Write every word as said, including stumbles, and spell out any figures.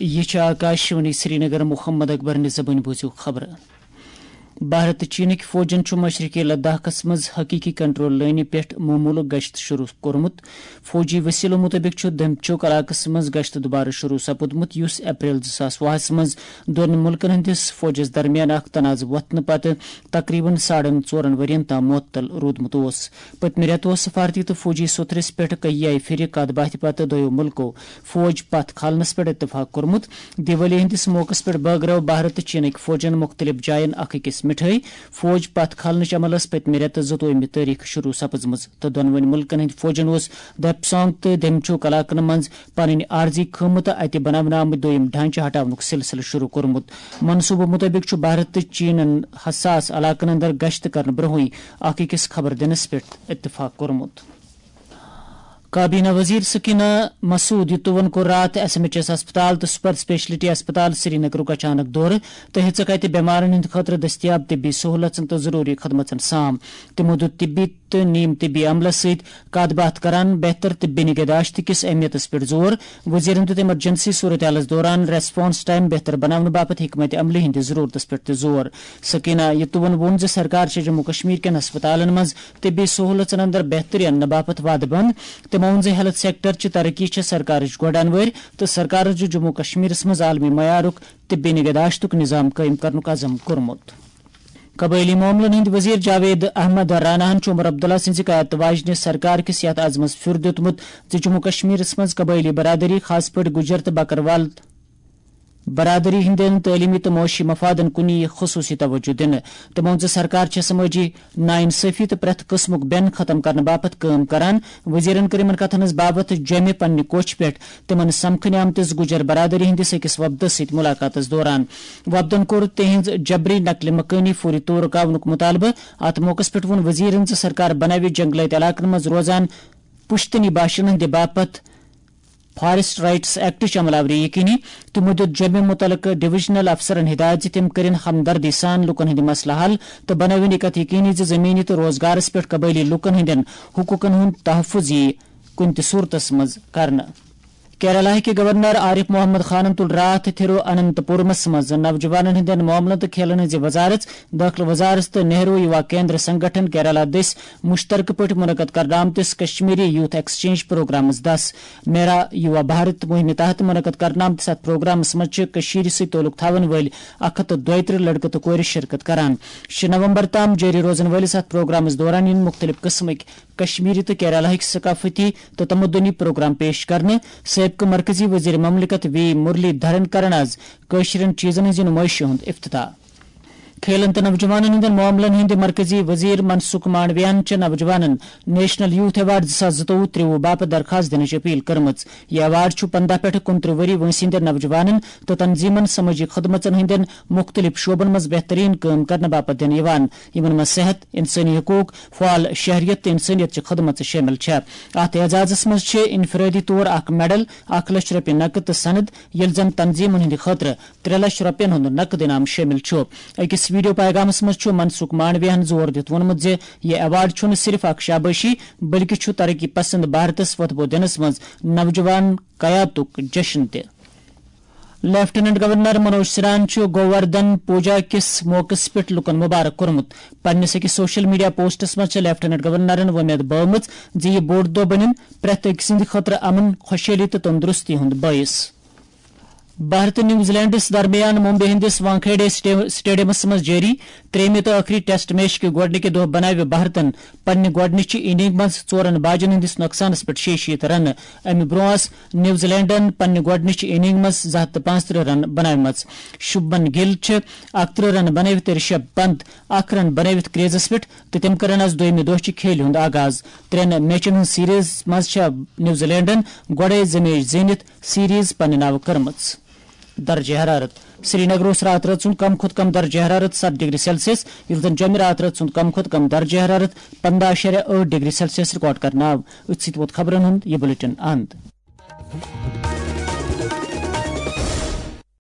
یہِ چھِ آکاشوانی سرینگر۔ محمد اکبر نِزبٲنۍ بوٗزِو خبرٕ۔ بھارت تہٕ چینٕکۍ فوجَن چھُ مشرقی لداخَس منٛز حقیقی کنٹرول لٲنہِ پٮ۪ٹھ معموٗلُک گشت شروع کوٚرمُت۔ فوجی وسیلو مُطٲبِق چھُ دمچوک علاقَس منٛز گشت دوبارٕ شروع سپُدمُت، یُس اپریل زٕ ساس وُہَس منٛز دۄن مُلکَن ہٕنٛدِس فوجَس درمیان اکھ تنازٕ وۄتھنہٕ پتہٕ تقریباً ساڑن ژورن ؤرین تام معطل روٗدمُت اوس۔ پٔتمہِ رٮ۪تہٕ اوس سفارتی تہٕ فوجی سوٚتھرِس پٮ۪ٹھ کئی پھِرِ کتھ باتھِ پتہٕ دۄیو مُلکو فوج پتھ کھالنس پٮ۪ٹھ اتفاق کوٚرمُت۔ دیوالی ہٕنٛدِس موقعس پٮ۪ٹھ بٲگرٲو بھارت تہٕ چینٕکۍ فوجن مُختٔلِف جاین اکھ أکِس مِٹھٲے۔ فوج پتھ کھالنٕچ عملس پٔتمہِ رٮ۪تہٕ زٕتووُہمہِ تٲریخ شروع سپٕزمٕژ تہٕ دۄنوٕنۍ مُلکن ہٕنٛدۍ فوجن اوس دپسانگ تہٕ دمچوک علاقن منٛز پنٕنۍ عارضی خٲمہٕ تہٕ اتہِ بناونہٕ آمٕتۍ دوٚیِم ڈھانچہٕ ہٹاونُک سلسلہٕ شروع کوٚرمُت۔ منصوٗبہٕ مُطٲبِق چھُ بھارت تہٕ چینَن حساس علاقن اندر گشت کرنہٕ برونٛہٕے اکھ أکِس خبر دِنس پٮ۪ٹھ اتفاق کوٚرمُت۔ کابینہ وزیر سکینہ مسعود یتوَن کوٚر راتھ ایس ایم ایچ ایس ہسپتال تہٕ سپر اسپیشلٹی ہسپتال سرینگرُک اچانک دورٕ تہٕ ہیٚژٕکھ اتہِ بٮ۪مارن ہٕنٛدِ خٲطرٕ دٔستیاب طبی سہولژن تہٕ ضروٗری خدمژن سام۔ تِمو دیُت طبی تہٕ نیم طبی عملس سۭتۍ کتھ باتھ کران بہتر طبی نگہداشت کِس اہمیتس پٮ۪ٹھ زور۔ وزیرن دیُت ایمرجنسی صورتحالس دوران ریسپانس ٹائم بہتر بناونہٕ باپتھ حکمت عملی ہٕنٛدِس ضرورتس پٮ۪ٹھ تہِ زور۔ سکینہ یتوَن ووٚن زِ سرکار چھےٚ جموں کشمیر کٮ۪ن ہسپتالن منٛز طبی سہولژن اندر بہتری اننہٕ باپتھ وعدٕ بنٛد۔ تٔمۍ ووٚن زِ ہیلتھ سیکٹر چہِ ترقی چھےٚ سرکارٕچ گۄڈٕ انوٲرۍ تہٕ سرکارن چھُ جموں کشمیرس منٛز عالمی معیارُک طبی نگہداشتُک نظام قٲیِم کرنُک عزم کوٚرمُت۔ قبٲئلی معاملن ہٕنٛدۍ وزیر جاوید احمد راناہن چھُ عمر عبداللہ سٕنٛزِ قیادتہٕ واجنہِ سرکار کِس یتھ عزمس پھیُر دیُتمُت زِ جموں کشمیرس منٛز قبٲئلی برادری، خاص پٲٹھۍ گجر تہٕ بکروال برادری ہٕنٛدٮ۪ن تعلیمی تہٕ معاشی مفادن کُن یِیہِ خصوٗصی توجہ دِنہٕ۔ تٔمۍ ووٚن زِ سرکار چھےٚ سمٲجی ناانصٲفی تہٕ پرٛٮ۪تھ قٕسمُک بٮ۪ن ختم کرنہٕ باپتھ کٲم کران۔ وزیرن کٔر یِمن کتھن ہٕنٛز باوتھ جوٚمہِ پننہِ کوٹھۍ پٮ۪ٹھ تِمن سمکھنہِ آمتِس گجر برادری ہٕنٛدِس أکِس وفدس سۭتۍ مُلاقاتس دوران۔ وفدن کوٚر تِہنٛز جبری نقل مکٲنی فوری طور رُکاونُک مُطالبہٕ۔ اتھ موقعس پٮ۪ٹھ ووٚن وزیرن زِ سرکار بناوِ جنگلٲتۍ علاقن منٛز روزان پشتنی باشندن ہٕنٛدِ باپتھ فارسٹ رائٹس ایکٹٕچ عمل آوری یقینی۔ تِمو دیُت جوٚمہِ مُتعلقہٕ ڈویژنل افسرن ہدایت زِ تِم کٔرِن ہمدردی سان لوٗکن ہٕنٛدۍ مسلہٕ حل تہٕ بنٲوِن یہِ کتھ یقینی زِ زمینی تہٕ روزگارس پٮ۪ٹھ قبٲئلی لوٗکن ہٕنٛدٮ۪ن حقوٗقن ہُنٛد تحفظ یِیہِ کُنہِ تہِ صورتس منٛز کرنہٕ۔ کیرالہ کہِ گورنر عارف محمد خانن تُل راتھ تھرو اننت پورمس منٛز نوجوانن ہٕنٛدٮ۪ن معاملن تہٕ کھیلن ہٕنٛزِ وزارت، دٲخلہٕ وزارت تہٕ نہرو یُوا کیندر سنگٹھن کیرالہ دٔسۍ مشترکہٕ پٲٹھۍ منعقد کرنہٕ آمتِس کشمیری یوتھ ایکسچینج پروگرامس دس میرا یُوا بھارت مُہِمہِ تحت منعقد کرنہٕ آمتِس اتھ پروگرامس منٛز چھِ کٔشیٖرِ سۭتۍ تعلق تھاون وٲلۍ اکھ ہتھ تہٕ دۄیہِ ترٕٛہ لڑکہٕ تہٕ کورِ شرکت کران۔ شےٚ نومبر تام جٲری روزن وٲلِس اتھ پروگرامس دوران یِن مُختٔلِف قٕسمٕکۍ کشمیٖری تہٕ کیرالہٕکۍ ثقافتی تہٕ تمدنی پروگرام پیش کرنہٕ۔ سٲبقہٕ مرکزی وزیر مملکت وی مرلی دھرن کرن آز کٲشرٮ۪ن چیزن ہٕنٛزِ نُمٲیشہِ ہُنٛد افتتاح۔ کھیلن تہٕ نوجوانن ہٕنٛدٮ۪ن معاملن ہٕنٛدۍ مرکزی وزیر منسکھ مانڈویاہن چھِ نوجوانن نیشنل یوتھ ایوارڈ زٕ ساس زٕتووُہ ترٛووُہ باپتھ درخواست دِنٕچ اپیل کٔرمٕژ۔ یہِ ایوارڈ چھُ پنداہ پٮ۪ٹھٕ کُنترٕہ ؤری وٲنٛسہِ ہٕنٛدٮ۪ن نوجوانن تہٕ تنظیمن سمٲجی خدمژن ہٕنٛدٮ۪ن مُختٔلِف شعبن منٛز بہتریٖن کٲم کرنہٕ باپتھ دِنہٕ یِوان، یِمن منٛز صحت، انسٲنی حقوق، فعال شہریت تہٕ انسٲنیت چہِ خدمژٕ شٲمِل چھےٚ۔ اتھ اعزازس منٛز چھِ انفرٲدی طور اکھ میڈل، اکھ لچھ رۄپیہِ نقد تہٕ سند، ییٚلہِ زن تنظیمن ہٕنٛدِ خٲطرٕ ترٛےٚ لچھ رۄپین ہُنٛد نقد انعام شٲمِل چھُ۔ أکِس ویڈیو پیغامس منٛز چھُ منسکھ مانڈویاہن زور دِتھ ووٚنمُت زِ یہِ ایوارڈ چھُنہٕ صرف اکھ شابٲشی، بلکہِ چھُ ترقی پسند بھارتس وۄتھٕ بو دِنس منٛز نوجوان قیادتُک جشن تہِ۔ لیفٹیننٹ گورنر منوج سنہاہن چھُ گووردھن پوجا کِس موقعس پٮ۪ٹھ لوٗکَن مبارک کوٚرمُت۔ پننِس أکِس سوشل میڈیا پوسٹَس منٛز چھِ لیفٹیننٹ گورنرَن وۄمید بٲومٕژ زِ یہِ بوٚڑ دۄہ بَنہِ پرٛٮ۪تھ أکۍ سٕنٛدِ خٲطرٕ امن، خۄشحٲلی تہٕ تندرستی ہُنٛد بٲعث۔ بھارت تہٕ نیوزی لینڈَس درمیان ممبئی ہٕنٛدِس وانکھیڑے سٹے-، سٹیڈیمَس منٛز جٲری ترٛیٚیِمہِ تہٕ ٲخری ٹیسٹ میچ کہِ گۄڈٕنِکہِ دۄہ بناوِ بھارتَن پننہِ گۄڈٕنِچہِ اننگ منٛز ژورَن باجَن ہٕنٛدِس نۄقصانَس پٮ۪ٹھ شیٚیہِ شیٖتھ رنہٕ۔ امہِ برونٛہہ ٲس نیوزی لینڈن پننہِ گۄڈٕنِچہِ اننگ منٛز زٕ ہتھ تہٕ پانٛژترٕٛہ رن بناومژ۔ شُبمن گِل چھِ اکترٕٛہ رن بنٲوِتھ تہٕ رشب پنت اکھ رن بنٲوِتھ کریزس پٮ۪ٹھ تہٕ تِم کرن از دوٚیمہِ دۄہ چہِ کھیلہِ ہُنٛد آغاز۔ ترٛٮ۪ن میچن ہٕنٛز سیریز منٛز چھےٚ نیوزی لینڈن گۄڈے زٕ میچ زیٖنِتھ سیریز پننہِ ناوٕ کٔرمٕژ۔ درجہ حرارت۔ سرینگر اوس راتہٕ رٲژ ہُنٛد کم کھۄتہٕ کم درجہ حرارت ستھ ڈگری سیلسیس، ییٚلہِ زن جوٚمہِ راتہٕ رٲژ ہُنٛد کم کھۄتہٕ کم درجہ حرارت پنداہ اَشاریہ ٲٹھ ڈگری سیلسیس ریکارڈ کرنہٕ آو۔ أتھۍ سۭتۍ ووت خبرن ہُنٛد یہِ بلیٹن اند۔